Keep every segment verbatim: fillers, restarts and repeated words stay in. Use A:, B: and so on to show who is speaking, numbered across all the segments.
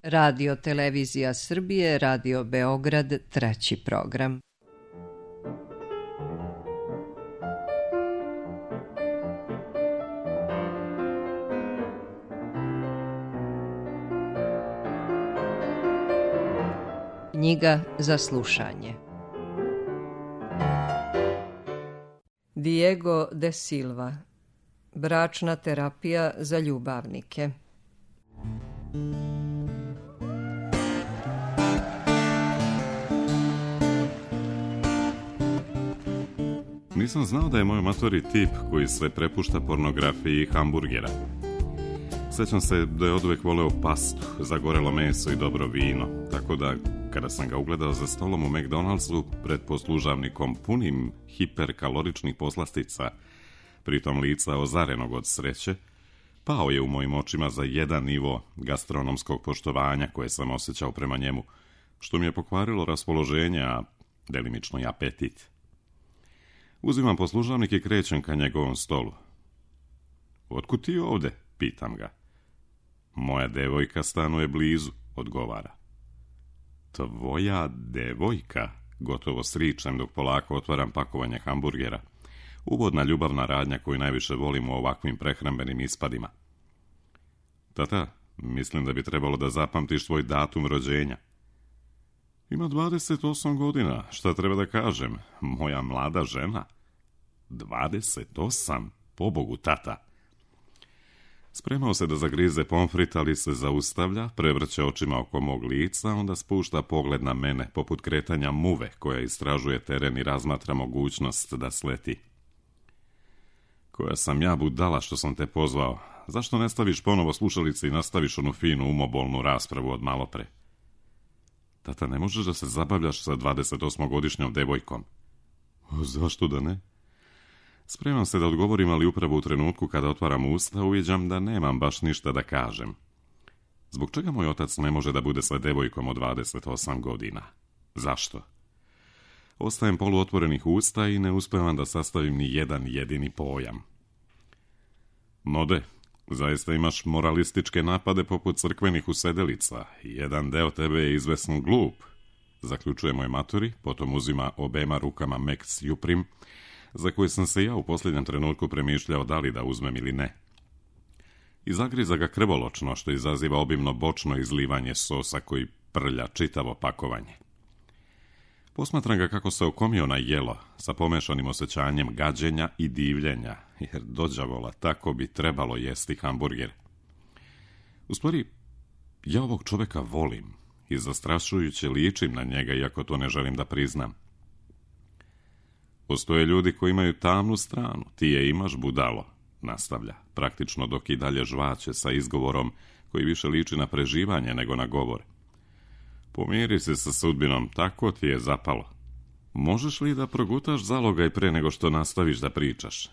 A: Radio Televizija Srbije, Radio Beograd, treći program. Knjiga za slušanje. Diego de Silva. Bračna terapija za ljubavnike.
B: Nisam znao da je moj matori tip koji se prepušta pornografiji i hamburgera. Sjećam se da je oduvijek voleo pastu, zagorelo meso i dobro vino, tako da kada sam ga ugledao za stolom u McDonald'su pred poslužavnikom punim hiperkaloričnih poslastica, pritom lica ozarenog od sreće, pao je u mojim očima za jedan nivo gastronomskog poštovanja koje sam osjećao prema njemu, što mi je pokvarilo raspoloženje, a delimično i apetit. Uzimam poslužavnik i krećem ka njegovom stolu. "Otkud ti ovde?" pitam ga. "Moja devojka stanuje blizu," odgovara. "Tvoja devojka?" gotovo sričem dok polako otvaram pakovanje hamburgera. Uvodna ljubavna radnja koju najviše volim u ovakvim prehrambenim ispadima. "Tata, mislim da bi trebalo da zapamtiš svoj datum rođenja." "Ima dvadeset osam godina, šta treba da kažem, moja mlada žena." dvadeset osam? Pobogu, tata. Spremao se da zagrize pomfrit, ali se zaustavlja, prevrće očima oko mog lica, onda spušta pogled na mene, poput kretanja muve koja istražuje teren i razmatra mogućnost da sleti. "Koja sam ja budala što sam te pozvao. Zašto ne staviš ponovo slušalice i nastaviš onu finu umobolnu raspravu od malopre?" "Tata, ne možeš da se zabavljaš sa dvadesetosmogodišnjom devojkom." "Zašto da ne?" Spremam se da odgovorim, ali upravo u trenutku kada otvaram usta uviđam da nemam baš ništa da kažem. Zbog čega moj otac ne može da bude sa devojkom od dvadeset osam godina? Zašto? Ostajem poluotvorenih usta i ne uspevam da sastavim ni jedan jedini pojam. "Mode, zaista imaš moralističke napade poput crkvenih usedelica. Jedan deo tebe je izvesno glup," zaključuje moj matori, potom uzima obema rukama Max Juprim, za koje sam se ja u posljednjem trenutku premišljao da li da uzmem ili ne. I zagriza ga krvoločno, što izaziva obimno bočno izlivanje sosa koji prlja čitavo pakovanje. Posmatram ga kako se okomio na jelo, sa pomešanim osjećanjem gađenja i divljenja, jer dođavola tako bi trebalo jesti hamburger. U stvari, ja ovog čoveka volim i zastrašujuće ličim na njega, iako to ne želim da priznam. "Postoje ljudi koji imaju tamnu stranu, ti je imaš, budalo," nastavlja, praktično dok i dalje žvaće sa izgovorom koji više liči na preživanje nego na govor. "Pomiri se sa sudbinom, tako ti je zapalo. Možeš li da progutaš zalogaj pre nego što nastaviš da pričaš?"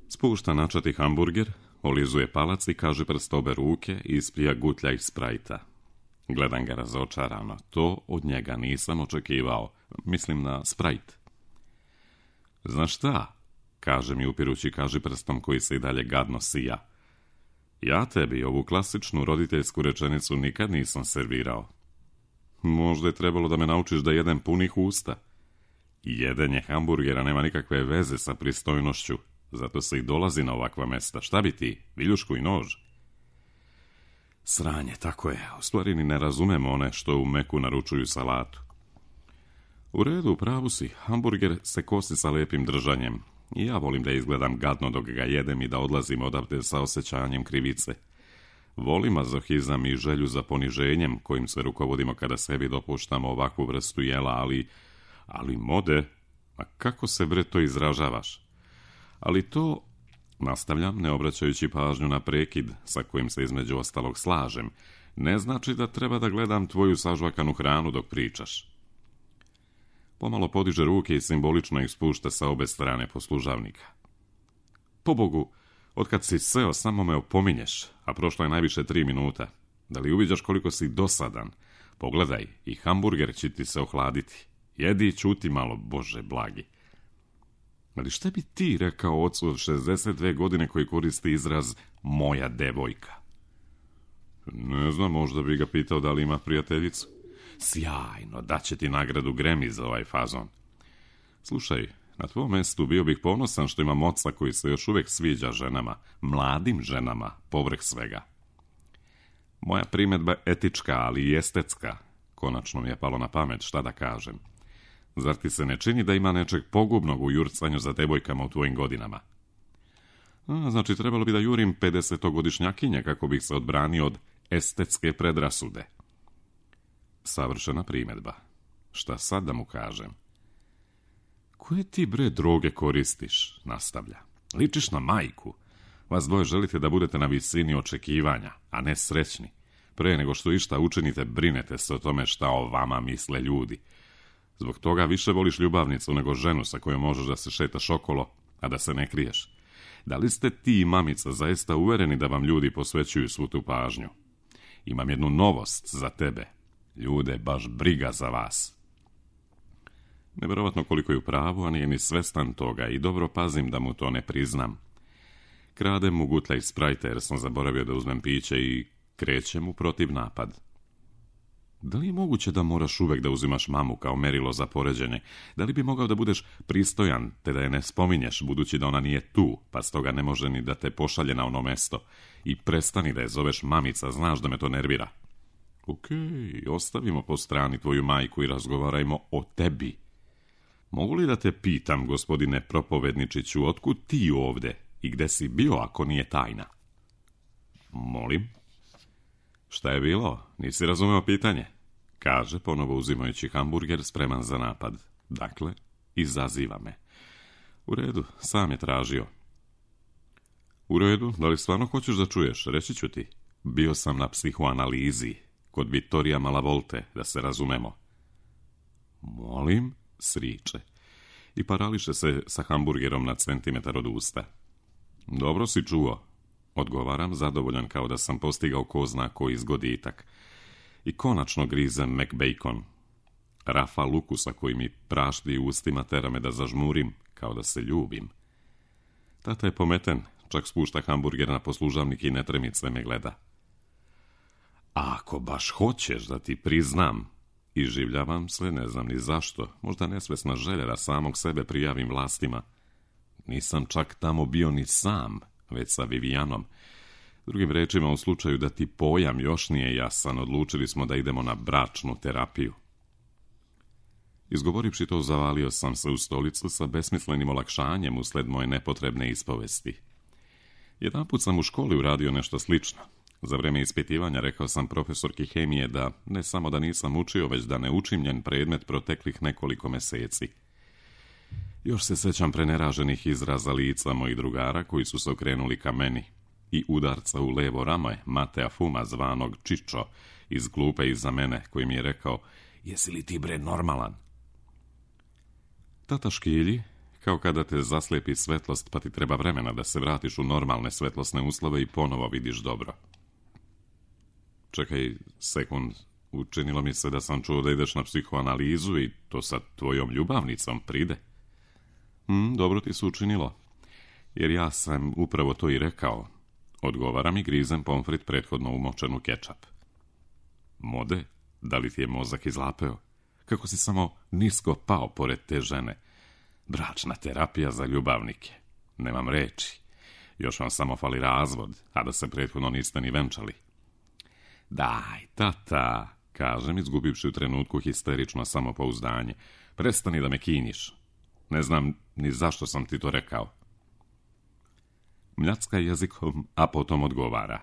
B: Spušta načati hamburger, olizuje palac i kaže prst obe ruke i isplija gutlja iz sprajta. Gledam ga razočarano, to od njega nisam očekivao, mislim na sprajt. "Znaš šta?" kaže mi upirući kaži prstom koji se i dalje gadno sija. "Ja tebi ovu klasičnu roditeljsku rečenicu nikad nisam servirao. Možda je trebalo da me naučiš da jedem punih usta. Jedenje hamburgera nema nikakve veze sa pristojnošću, zato se i dolazi na ovakva mesta. Šta bi ti, viljušku i nož?" Sranje, tako je, u stvari ni ne razumemo one što u Meku naručuju salatu. "U redu, u pravu si, hamburger se kosi sa lepim držanjem. I ja volim da izgledam gadno dok ga jedem i da odlazim odavde sa osjećanjem krivice. Volim mazohizam i želju za poniženjem kojim se rukovodimo kada sebi dopuštamo ovakvu vrstu jela, ali... Ali mode, a kako se bre to izražavaš? Ali to, nastavljam, ne obraćajući pažnju na prekid sa kojim se između ostalog slažem, ne znači da treba da gledam tvoju sažvakanu hranu dok pričaš." Pomalo podiže ruke i simbolično ih spušta sa obe strane poslužavnika. "Pobogu, otkad si seo, samo me opominješ, a prošlo je najviše tri minuta. Da li uviđaš koliko si dosadan? Pogledaj, i hamburger će ti se ohladiti. Jedi i ćuti malo, Bože blagi." "Ali šta bi ti rekao ocu od šezdeset dve godine koji koristi izraz moja devojka?" Ne znam, možda bi ga pitao da li ima prijateljicu. Sjajno, daće ti nagradu Grammy za ovaj fazon. Slušaj, na tvojom mjestu bio bih ponosan što imam oca koji se još uvijek sviđa ženama, mladim ženama, povrh svega. Moja primjedba je etička, ali i estetska. Konačno mi je palo na pamet, šta da kažem. Zar ti se ne čini da ima nečeg pogubnog u jurcanju za devojkama u tvojim godinama? A, znači, trebalo bi da jurim pedesetogodišnjakinje kako bih se odbranio od estetske predrasude. Savršena primjedba. Šta sad da mu kažem? Koje ti bre droge koristiš? Nastavlja. Ličiš na majku. Vas dvoje želite da budete na visini očekivanja, a ne srećni. Pre nego što išta učinite, brinete se o tome šta o vama misle ljudi. Zbog toga više voliš ljubavnicu nego ženu sa kojom možeš da se šetaš okolo, a da se ne kriješ. Da li ste ti i mamica zaista uvereni da vam ljudi posvećuju svu tu pažnju? Imam jednu novost za tebe. Ljude, baš briga za vas. Nevjerovatno koliko je u pravu, a nije ni svestan toga i dobro pazim da mu to ne priznam. Kradem mu gutlja iz Sprajta jer sam zaboravio da uzmem piće i krećem u protiv napad. Da li je moguće da moraš uvek da uzimaš mamu kao merilo za poređenje? Da li bi mogao da budeš pristojan, te da je ne spominješ, budući da ona nije tu, pa stoga ne može ni da te pošalje na ono mesto? I prestani da je zoveš mamica, znaš da me to nervira. Okej, ostavimo po strani tvoju majku i razgovarajmo o tebi. Mogu li da te pitam, gospodine propovedničiću, otkud ti ovde i gde si bio ako nije tajna? Molim? Šta je bilo? Nisi razumeo pitanje? Kaže, ponovo uzimajući hamburger, spreman za napad. Dakle, izaziva me. U redu, sam je tražio. U redu, da li stvarno hoćeš da čuješ? Reći ću ti. Bio sam na psihoanalizi, kod Vittorija Malavolte, da se razumemo. Molim, sriče. I parališe se sa hamburgerom na centimetar od usta. Dobro si čuo. Odgovaram, zadovoljan kao da sam postigao ko zna koji zgoditak. I konačno grizem McBacon. Rafa lukusa koji mi prašti u ustima tera me da zažmurim, kao da se ljubim. Tata je pometen, čak spušta hamburger na poslužavnik i netremice me gleda. A ako baš hoćeš da ti priznam, iživljavam se, ne znam ni zašto, možda nesvesna želja da samog sebe prijavim vlastima. Nisam čak tamo bio ni sam, već sa Vivijanom. Drugim rečima, u slučaju da ti pojam još nije jasan, odlučili smo da idemo na bračnu terapiju. Izgovorivši to, zavalio sam se u stolicu sa besmislenim olakšanjem usled moje nepotrebne ispovesti. Jedanput sam u školi uradio nešto slično. Za vreme ispitivanja rekao sam profesorki hemije da ne samo da nisam učio, već da ne učim njen predmet proteklih nekoliko meseci. Još se sećam preneraženih izraza lica mojih drugara koji su se okrenuli ka meni i udarca u levo rame Matea Fuma zvanog Čičo iz klupe iza mene koji mi je rekao: "Jesi li ti bre normalan?" Tata škilji, kao kada te zaslijepi svetlost pa ti treba vremena da se vratiš u normalne svetlosne uslove i ponovo vidiš dobro. Čekaj sekund, učinilo mi se da sam čuo da ideš na psihoanalizu i to sa tvojom ljubavnicom pride. Hm, dobro ti se učinilo, jer ja sam upravo to i rekao. Odgovaram i grizem pomfrit prethodno umočen u kečap. Mode, da li ti je mozak izlapeo? Kako si samo nisko pao pored te žene? Bračna terapija za ljubavnike. Nemam reči. Još vam samo fali razvod, a da se prethodno niste ni venčali. Daj, tata, kažem, izgubivši u trenutku histerično samopouzdanje. Prestani da me kinjiš. Ne znam ni zašto sam ti to rekao. Mljacka jezikom, a potom odgovara.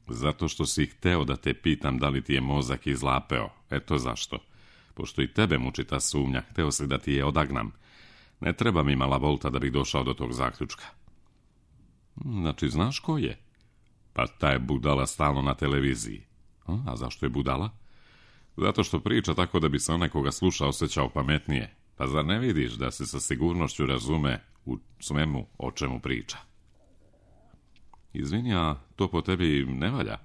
B: Zato što si hteo da te pitam da li ti je mozak izlapeo. Eto zašto. Pošto i tebe muči ta sumnja, hteo si da ti je odagnam. Ne treba mi mala volta da bih došao do tog zaključka. Znači, znaš ko je? Pa ta je budala stalno na televiziji. A zašto je budala? Zato što priča tako da bi se onaj koga sluša osjećao pametnije. Pa zar ne vidiš da se sa sigurnošću razume u svemu o čemu priča? Izvini, a to po tebi ne valja?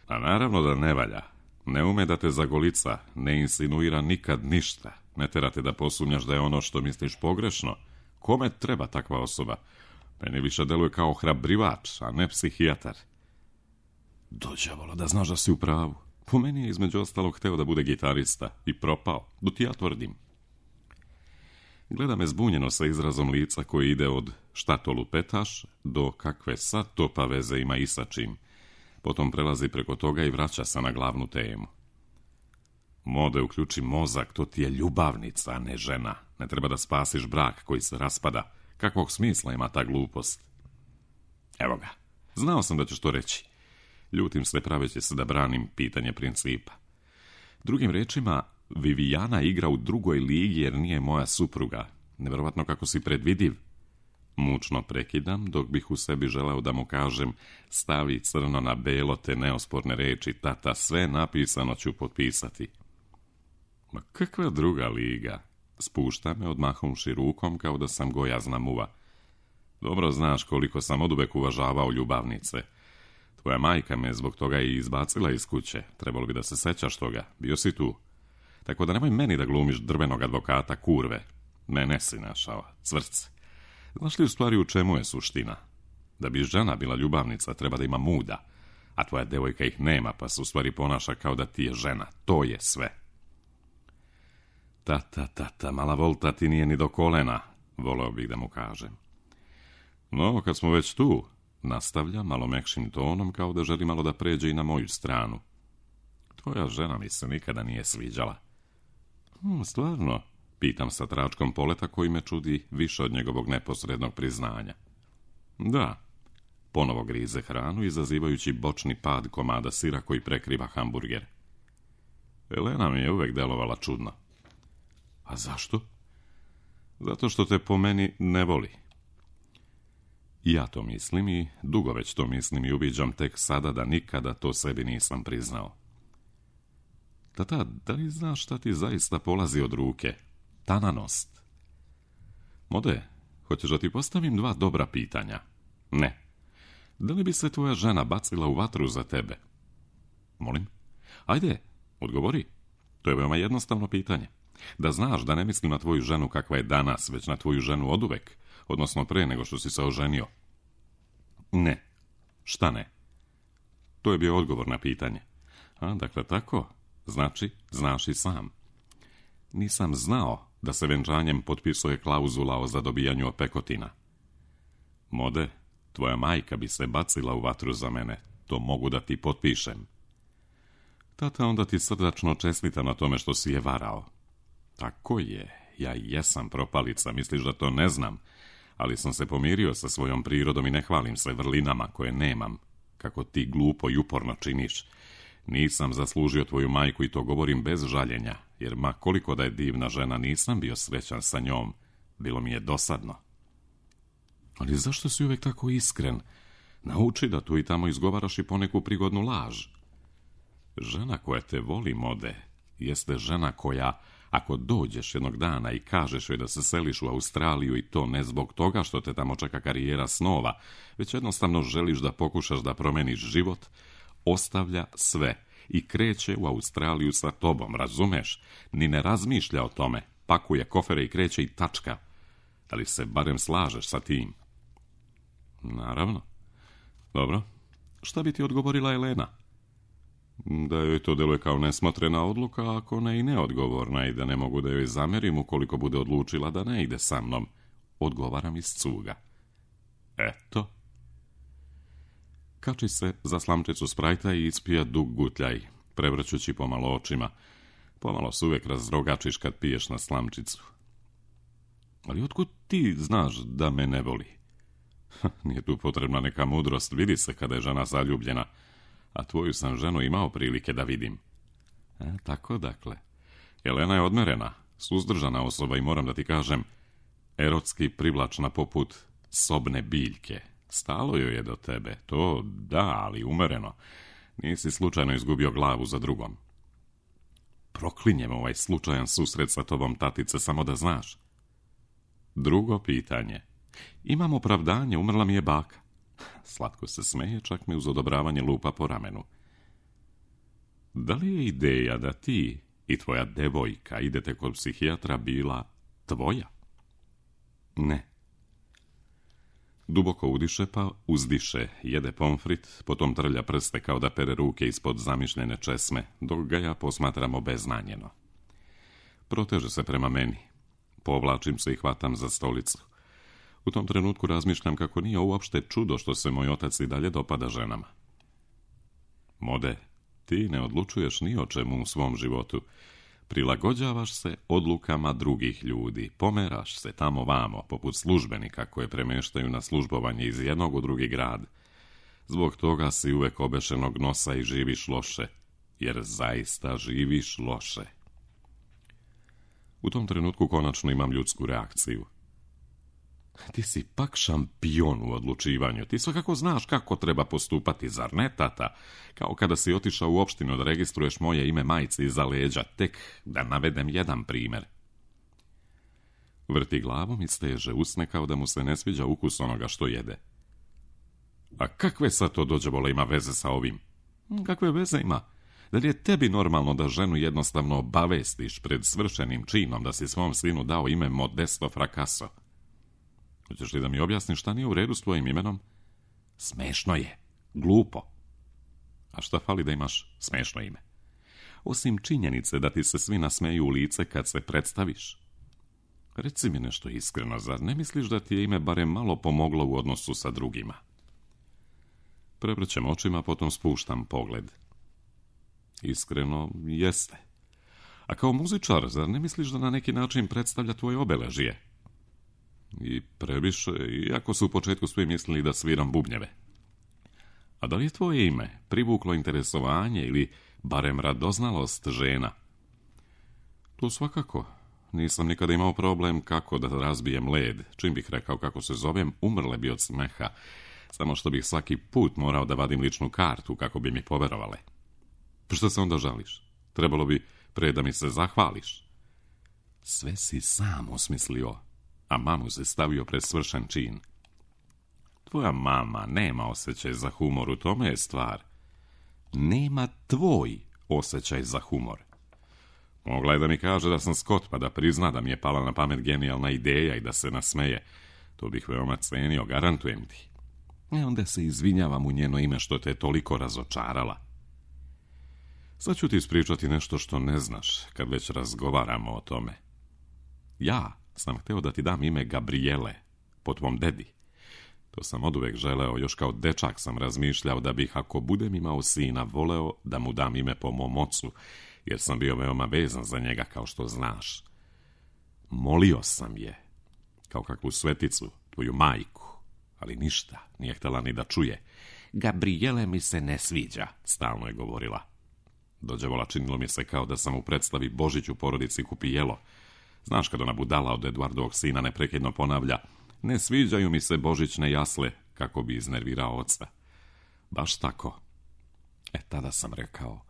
B: A naravno da ne valja. Ne ume da te zagolica, ne insinuira nikad ništa. Ne terate da posumnjaš da je ono što misliš pogrešno. Kome treba takva osoba? Meni više deluje kao hrabrivač, a ne psihijatar. Dođavolo, da znaš da si u pravu. Po meni je između ostalog hteo da bude gitarista i propao, do ti ja tvrdim. Gleda me zbunjeno sa izrazom lica koji ide od šta to lupetaš do kakve sad to pa veze ima i sa čim. Potom prelazi preko toga i vraća se na glavnu temu. Mode, uključi mozak, to ti je ljubavnica, a ne žena. Ne treba da spasiš brak koji se raspada. Kakvog smisla ima ta glupost? Evo ga, znao sam da ćeš to reći. Ljutim se praveći se da branim pitanje principa. Drugim rečima, Vivijana igra u drugoj ligi jer nije moja supruga. Nevjerovatno kako si predvidiv. Mučno prekidam, dok bih u sebi želeo da mu kažem stavi crno na belo te neosporne reči, tata, sve napisano ću potpisati. Ma kakva druga liga? Spušta me odmahnuši rukom kao da sam gojazna muva. Dobro znaš koliko sam oduvek uvažavao ljubavnice. Tvoja majka me zbog toga i izbacila iz kuće. Trebalo bi da se sećaš toga. Bio si tu. Tako da nemoj meni da glumiš drvenog advokata kurve. Mene si našao, cvrc. Znaš li u stvari u čemu je suština? Da bi žena bila ljubavnica treba da ima muda, a tvoja devojka ih nema pa se u stvari ponaša kao da ti je žena. To je sve. Tata, tata, mala volta ti nije ni do kolena, voleo bih da mu kažem. No, kad smo već tu, nastavlja malo mekšim tonom kao da želi malo da pređe i na moju stranu. Tvoja žena mi se nikada nije sviđala. Hm, stvarno, pitam sa tračkom poleta koji me čudi više od njegovog neposrednog priznanja. Da, ponovo grize hranu izazivajući bočni pad komada sira koji prekriva hamburger. Elena mi je uvek delovala čudno. A zašto? Zato što te po meni ne voli. Ja to mislim i dugo već to mislim i uviđam tek sada da nikada to sebi nisam priznao. Tata, da li znaš šta ti zaista polazi od ruke? Tananost. Mode, hoćeš da ti postavim dva dobra pitanja? Ne. Da li bi se tvoja žena bacila u vatru za tebe? Molim? Ajde, odgovori. To je veoma jednostavno pitanje. Da znaš da ne mislim na tvoju ženu kakva je danas, već na tvoju ženu oduvek, odnosno pre nego što si se oženio. Ne. Šta ne? To je bio odgovor na pitanje. A, dakle tako, znači, znaš i sam. Nisam znao da se venčanjem potpisuje klauzula o zadobijanju opekotina. Mode, tvoja majka bi se bacila u vatru za mene, to mogu da ti potpišem. Tata, onda ti srdačno čestita na tome što si je varao. Tako je, ja jesam propalica, misliš da to ne znam, ali sam se pomirio sa svojom prirodom i ne hvalim se vrlinama koje nemam, kako ti glupo i uporno činiš. Nisam zaslužio tvoju majku i to govorim bez žaljenja, jer ma koliko da je divna žena nisam bio srećan sa njom, bilo mi je dosadno. Ali zašto si uvek tako iskren? Nauči da tu i tamo izgovaraš i poneku prigodnu laž. Žena koja te voli, Mode, jeste žena koja, ako dođeš jednog dana i kažeš joj da se seliš u Australiju i to ne zbog toga što te tamo čeka karijera snova, već jednostavno želiš da pokušaš da promeniš život, ostavlja sve i kreće u Australiju sa tobom, razumeš? Ni ne razmišlja o tome, pakuje kofere i kreće i tačka. Da li se barem slažeš sa tim? Naravno. Dobro, šta bi ti odgovorila Elena? Da joj to deluje kao nesmotrena odluka, ako ne i neodgovorna, i da ne mogu da joj zamerim ukoliko bude odlučila da ne ide sa mnom. Odgovaram iz cuga. Eto. Kači se za slamčicu sprajta i ispija dug gutljaj, prevrćući pomalo očima. Pomalo se uvek razrogačiš kad piješ na slamčicu. Ali otkud ti znaš da me ne voli? Nije tu potrebna neka mudrost, vidi se kada je žena zaljubljena, a tvoju sam ženu imao prilike da vidim. E, tako dakle. Elena je odmerena, suzdržana osoba i moram da ti kažem, erotski privlačna poput sobne biljke. Stalo joj je do tebe, to da, ali umereno. Nisi slučajno izgubio glavu za drugom. Proklinjem ovaj slučajan susret sa tobom, tatice, samo da znaš. Drugo pitanje. Imam opravdanje, umrla mi je baka. Slatko se smeje, čak mi uz odobravanje lupa po ramenu. Da li je ideja da ti i tvoja devojka idete kod psihijatra bila tvoja? Ne. Duboko udiše pa uzdiše, jede pomfrit, potom trlja prste kao da pere ruke ispod zamišljene česme, dok ga ja posmatram obeznanjeno. Proteže se prema meni. Povlačim se i hvatam za stolicu. U tom trenutku razmišljam kako nije uopšte čudo što se moj otac i dalje dopada ženama. Mode, ti ne odlučuješ ni o čemu u svom životu. Prilagođavaš se odlukama drugih ljudi, pomeraš se tamo vamo, poput službenika koje premeštaju na službovanje iz jednog u drugi grad. Zbog toga si uvek obešenog nosa i živiš loše, jer zaista živiš loše. U tom trenutku konačno imam ljudsku reakciju. Ti si pak šampion u odlučivanju, ti svakako znaš kako treba postupati, zar ne, tata? Kao kada si otišao u opštinu da registruješ moje ime majci iza leđa, tek da navedem jedan primjer. Vrti glavom i steže usne kao da mu se ne sviđa ukus onoga što jede. A kakve sad to dođevole ima veze sa ovim? Kakve veze ima? Da li je tebi normalno da ženu jednostavno obavestiš pred svršenim činom da si svom sinu dao ime Modesto Fracasso? Hoćeš li da mi objasniš šta nije u redu s tvojim imenom? Smešno je, glupo. A šta fali da imaš smešno ime? Osim činjenice da ti se svi nasmeju u lice kad se predstaviš. Reci mi nešto iskreno, zar ne misliš da ti je ime barem malo pomoglo u odnosu sa drugima? Prevrćem očima, potom spuštam pogled. Iskreno, jeste. A kao muzičar, zar ne misliš da na neki način predstavlja tvoje obeležje? I previše, iako su u početku svi mislili da sviram bubnjeve. A da li je tvoje ime privuklo interesovanje ili barem radoznalost žena? To svakako. Nisam nikada imao problem kako da razbijem led. Čim bih rekao kako se zovem, umrle bi od smeha. Samo što bih svaki put morao da vadim ličnu kartu kako bi mi poverovale. Što se onda žališ? Trebalo bi pre da mi se zahvališ. Sve si sam osmislio, a mamu se stavio pred svršen čin. Tvoja mama nema osjećaj za humor, u tome je stvar. Nema tvoj osjećaj za humor. Mogla je da mi kaže da sam skot, pa da prizna da mi je pala na pamet genijalna ideja i da se nasmeje. To bih veoma cenio, garantujem ti. E onda se izvinjavam u njeno ime što te je toliko razočarala. Sad ću ti ispričati nešto što ne znaš, kad već razgovaramo o tome. Ja sam hteo da ti dam ime Gabriele, po tvom dedi. To sam oduvek želeo, još kao dečak sam razmišljao da bih, ako budem imao sina, voleo da mu dam ime po mom ocu, jer sam bio veoma vezan za njega, kao što znaš. Molio sam je, kao kakvu sveticu, tvoju majku, ali ništa, nije htjela ni da čuje. Gabriele mi se ne sviđa, stalno je govorila. Dođevola, činilo mi se kao da sam u predstavi Božić u porodici Kupijelo. Znaš kad ona budala od Eduardovog sina neprekidno ponavlja: ne sviđaju mi se božićne jasle, kako bi iznervirao oca. Baš tako. E, tada sam rekao,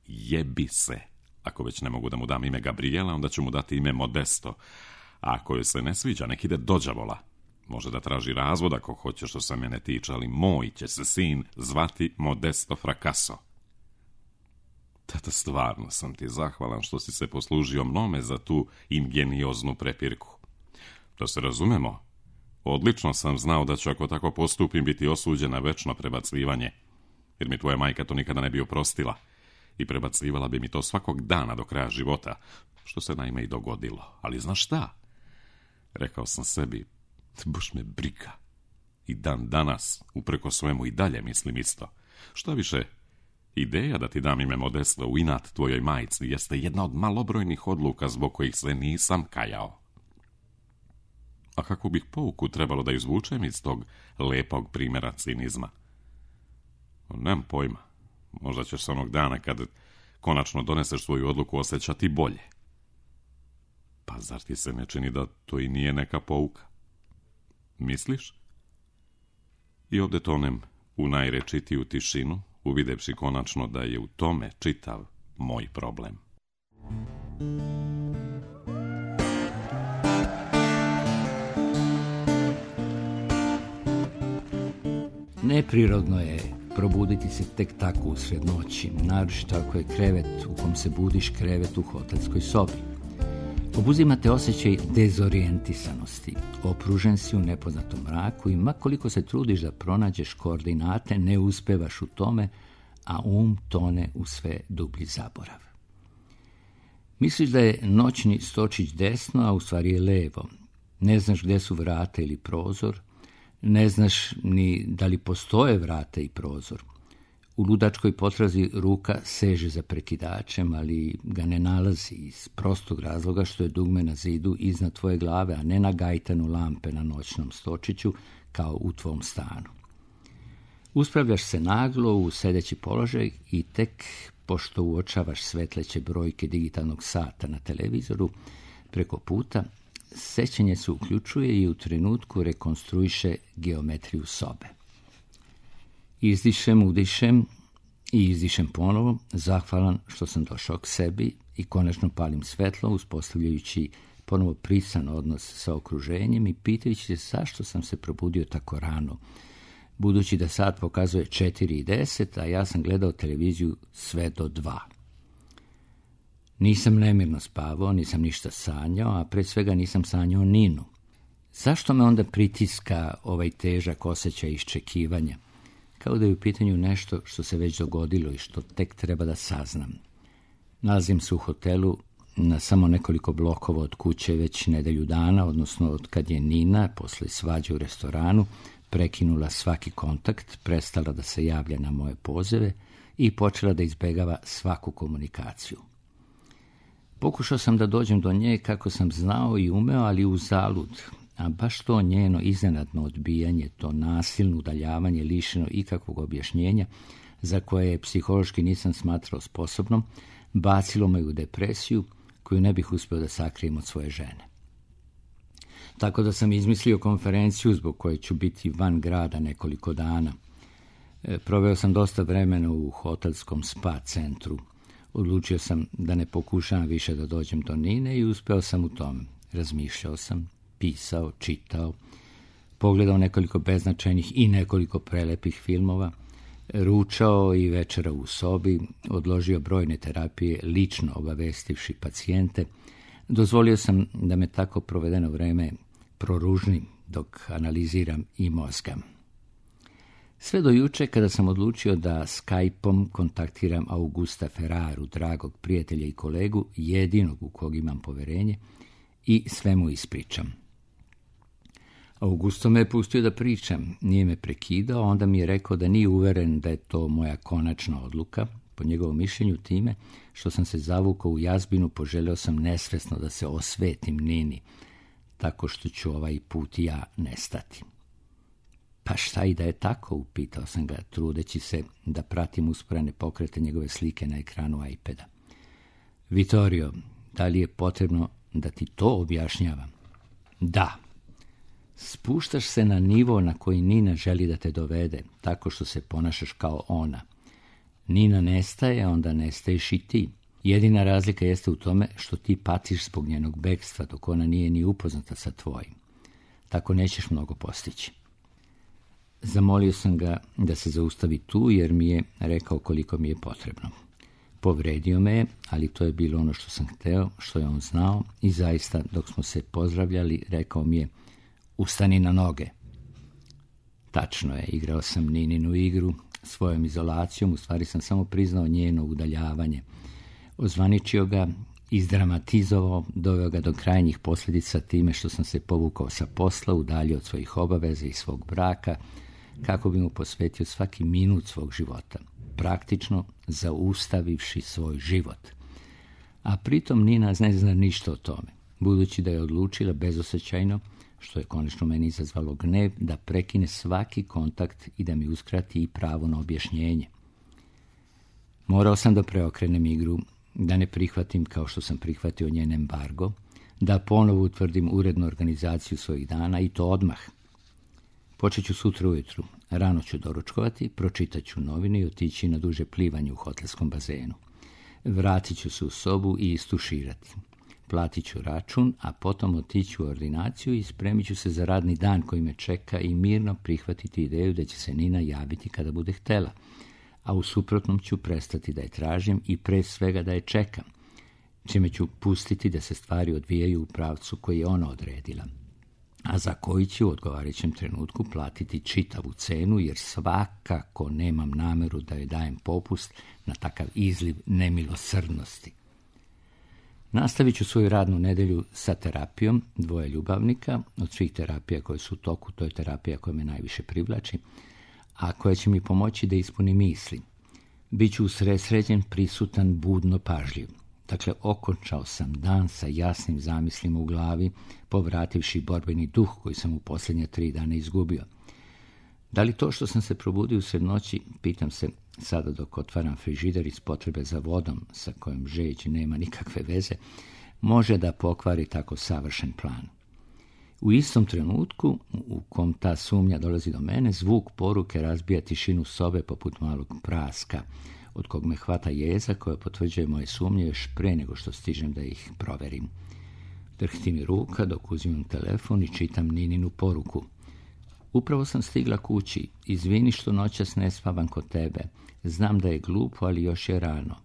B: jebi se. Ako već ne mogu da mu dam ime Gabriela, onda ću mu dati ime Modesto. A ako joj se ne sviđa, nek ide dođavola. Može da traži razvod ako hoće, što se mene tiče, ali moj će se sin zvati Modesto Fracasso. Tata, stvarno sam ti zahvalan što si se poslužio mnome za tu ingenioznu prepirku. Da se razumemo, odlično sam znao da ću, ako tako postupim, biti osuđen na večno prebacivanje, jer mi tvoja majka to nikada ne bi oprostila i prebacivala bi mi to svakog dana do kraja života, što se naime i dogodilo. Ali znaš šta? Rekao sam sebi, baš me briga. I dan danas, upreko svemu, i dalje mislim isto. Šta više, ideja da ti dam ime Modesto u inat tvojoj majci jeste jedna od malobrojnih odluka zbog kojih se nisam kajao. A kako bih pouku trebalo da izvučem iz tog lepog primjera cinizma? Nemam pojma. Možda ćeš se onog dana kad konačno doneseš svoju odluku osjećati bolje. Pa zar ti se ne čini da to i nije neka pouka? Misliš? I ovdje tonem u najrečitiju tišinu, uvidevši konačno da je u tome čitav moj problem.
C: Neprirodno je probuditi se tek tako usred noći, naročito ako je krevet u kom se budiš krevet u hotelskoj sobi. Obuzimate osjećaj dezorijentisanosti. Opružen si u nepoznatom mraku i makoliko se trudiš da pronađeš koordinate, ne uspevaš u tome, a um tone u sve dublji zaborav. Misliš da je noćni stočić desno, a u stvari je levo. Ne znaš gdje su vrata ili prozor, ne znaš ni da li postoje vrata i prozor. U ludačkoj potrazi ruka seže za prekidačem, ali ga ne nalazi iz prostog razloga što je dugme na zidu iznad tvoje glave, a ne na gajtanu lampe na noćnom stočiću kao u tvom stanu. Uspravljaš se naglo u sedeći položaj i tek pošto uočavaš svetleće brojke digitalnog sata na televizoru preko puta, sećanje se uključuje i u trenutku rekonstruiše geometriju sobe. Izdišem, udišem i izdišem ponovo, zahvalan što sam došao k sebi i konačno palim svetlo, uspostavljajući ponovo prisan odnos sa okruženjem i pitajući se zašto sam se probudio tako rano, budući da sat pokazuje četiri i deset, a ja sam gledao televiziju sve do dva. Nisam nemirno spavao, nisam ništa sanjao, a pre svega nisam sanjao Ninu. Zašto me onda pritiska ovaj težak osjećaj iščekivanja? Kao da je u pitanju nešto što se već dogodilo i što tek treba da saznam. Nalazim se u hotelu na samo nekoliko blokova od kuće već nedelju dana, odnosno od kad je Nina, posle svađe u restoranu, prekinula svaki kontakt, prestala da se javlja na moje pozove i počela da izbegava svaku komunikaciju. Pokušao sam da dođem do nje kako sam znao i umeo, ali uzalud, a baš to njeno iznenadno odbijanje, to nasilno udaljavanje lišeno ikakvog objašnjenja, za koje je psihološki nisam smatrao sposobnom, bacilo me u depresiju koju ne bih uspio da sakrijem od svoje žene. Tako da sam izmislio konferenciju zbog koje ću biti van grada nekoliko dana. E, proveo sam dosta vremena u hotelskom spa centru. Odlučio sam da ne pokušavam više da dođem do Nine i uspeo sam u tome. Razmišljao sam, pisao, čitao, pogledao nekoliko beznačajnih i nekoliko prelepih filmova, ručao i večera u sobi, odložio brojne terapije, lično obavestivši pacijente. Dozvolio sam da me tako provedeno vreme proružni dok analiziram i mozgam. Sve do juče kada sam odlučio da Skype-om kontaktiram Augusta Ferraru, dragog prijatelja i kolegu, jedinog u kog imam poverenje, i sve mu ispričam. Augusto me je pustio da pričam, nije me prekidao, onda mi je rekao da nije uveren da je to moja konačna odluka. Po njegovom mišljenju time što sam se zavukao u jazbinu, poželeo sam nesvesno da se osvetim Nini, tako što ću ovaj put i ja nestati. Pa šta i da je tako, upitao sam ga, trudeći se da pratim usporene pokrete njegove slike na ekranu iPada. Vittorio, da li je potrebno da ti to objašnjavam? Da. Spuštaš se na nivo na koji Nina želi da te dovede, tako što se ponašaš kao ona. Nina nestaje, onda nestaješ i ti. Jedina razlika jeste u tome što ti patiš zbog njenog bekstva, dok ona nije ni upoznata sa tvojim. Tako nećeš mnogo postići. Zamolio sam ga da se zaustavi tu, jer mi je rekao koliko mi je potrebno. Povredio me je, ali to je bilo ono što sam hteo, što je on znao, i zaista, dok smo se pozdravljali, rekao mi je: ustani na noge. Tačno je, igrao sam Nininu igru, svojom izolacijom, u stvari sam samo priznao njeno udaljavanje. Ozvaničio ga, izdramatizovao, doveo ga do krajnjih posljedica time što sam se povukao sa posla, udaljio od svojih obaveza i svog braka, kako bi mu posvetio svaki minut svog života, praktično zaustavivši svoj život. A pritom Nina ne zna ništa o tome, budući da je odlučila bezosjećajno, što je konačno meni izazvalo gnev, da prekine svaki kontakt i da mi uskrati i pravo na objašnjenje. Morao sam da preokrenem igru, da ne prihvatim kao što sam prihvatio njen embargo, da ponovo utvrdim urednu organizaciju svojih dana, i to odmah. Počet ću sutra ujutru, rano ću doručkovati, pročitat ću novine i otići na duže plivanje u hotelskom bazenu. Vratit ću se u sobu i istuširati. Platit ću račun, a potom otići u ordinaciju i spremit ću se za radni dan koji me čeka i mirno prihvatiti ideju da će se Nina javiti kada bude htela, a u suprotnom ću prestati da je tražim i pre svega da je čekam, čime ću pustiti da se stvari odvijaju u pravcu koji je ona odredila, a za koji ću u odgovarajućem trenutku platiti čitavu cenu, jer svakako nemam nameru da joj dajem popust na takav izliv nemilosrdnosti. Nastavit ću svoju radnu nedjelju sa terapijom dvoje ljubavnika. Od svih terapija koje su u toku, to je terapija koja me najviše privlači, a koja će mi pomoći da ispunim misli. Biću usredsređen, prisutan, budno pažljiv. Dakle, okončao sam dan sa jasnim zamislima u glavi, povrativši borbeni duh koji sam u posljednje tri dana izgubio. Da li to što sam se probudio usred noći, pitam se sada dok otvaram frižider iz potrebe za vodom, sa kojom žeđ nema nikakve veze, može da pokvari tako savršen plan. U istom trenutku, u kom ta sumnja dolazi do mene, zvuk poruke razbija tišinu sobe poput malog praska, od kog me hvata jeza koja potvrđuje moje sumnje još pre nego što stižem da ih proverim. Drhti mi ruka dok uzimam telefon i čitam Nininu poruku. Upravo sam stigla kući. Izvini što noćas ne spavam kod tebe. Znam da je glupo, ali još je rano.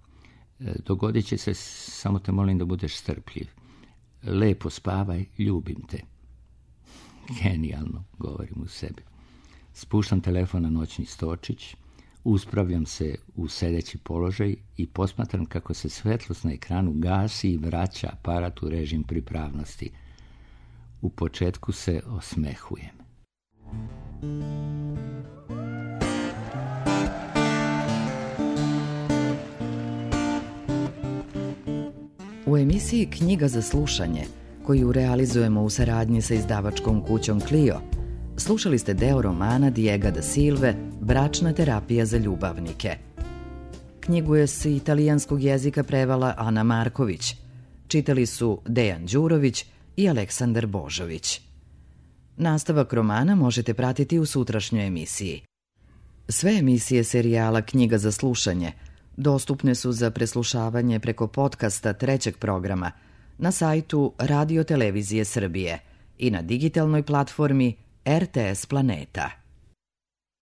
C: Dogodit će se, samo te molim da budeš strpljiv. Lepo spavaj, ljubim te. Genijalno, govorim u sebi. Spuštam telefon na noćni stočić, uspravljam se u sedeći položaj i posmatram kako se svetlost na ekranu gasi i vraća aparat u režim pripravnosti. U početku se osmehujem.
D: U emisiji Knjiga za slušanje, koju realizujemo u saradnji sa izdavačkom kućom Clio, slušali ste deo romana Diega da Silve Bračna terapija za ljubavnike. Knjigu je s italijanskog jezika prevala Ana Marković. Čitali su Dejan Đurović i Aleksandar Božović. Nastavak romana možete pratiti u sutrašnjoj emisiji. Sve emisije serijala Knjiga za slušanje dostupne su za preslušavanje preko podcasta trećeg programa na sajtu Radio Televizije Srbije i na digitalnoj platformi R T S Planeta.